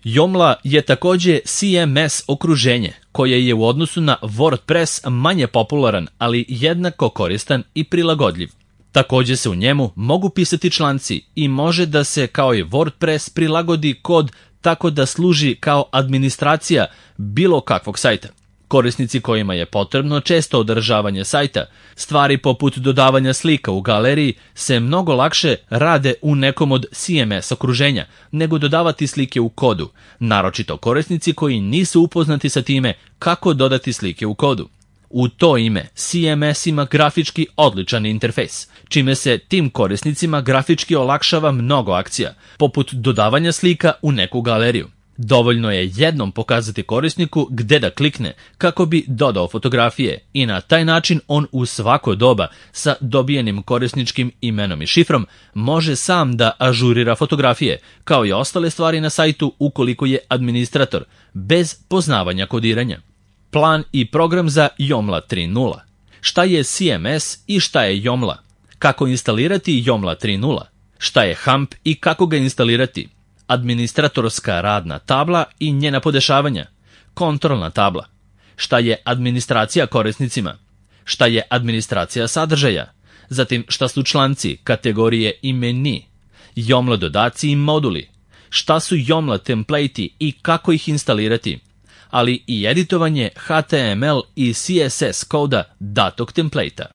Joomla je također CMS okruženje koje je u odnosu na WordPress manje popularan, ali jednako koristan i prilagodljiv. Također se u njemu mogu pisati članci i može da se kao i WordPress prilagodi kod tako da služi kao administracija bilo kakvog sajta. Korisnici kojima je potrebno često održavanje sajta, stvari poput dodavanja slika u galeriji se mnogo lakše rade u nekom od CMS okruženja nego dodavati slike u kodu, naročito korisnici koji nisu upoznati sa time kako dodati slike u kodu. U to ime CMS ima grafički odličan interfejs, čime se tim korisnicima grafički olakšava mnogo akcija, poput dodavanja slika u neku galeriju. Dovoljno je jednom pokazati korisniku gde da klikne kako bi dodao fotografije i na taj način on u svako doba sa dobijenim korisničkim imenom i šifrom može sam da ažurira fotografije, kao i ostale stvari na sajtu ukoliko je administrator, bez poznavanja kodiranja. Plan i program za Joomla 3.0. Šta je CMS i šta je Joomla? Kako instalirati Joomla 3.0? Šta je HAMP i kako ga instalirati? Administratorska radna tabla i njena podešavanja. Kontrolna tabla. Šta je administracija korisnicima? Šta je administracija sadržaja? Zatim šta su članci, kategorije i meni? Joomla dodaci i moduli. Šta su Joomla templati i kako ih instalirati? Ali i editovanje HTML i CSS koda datog templata.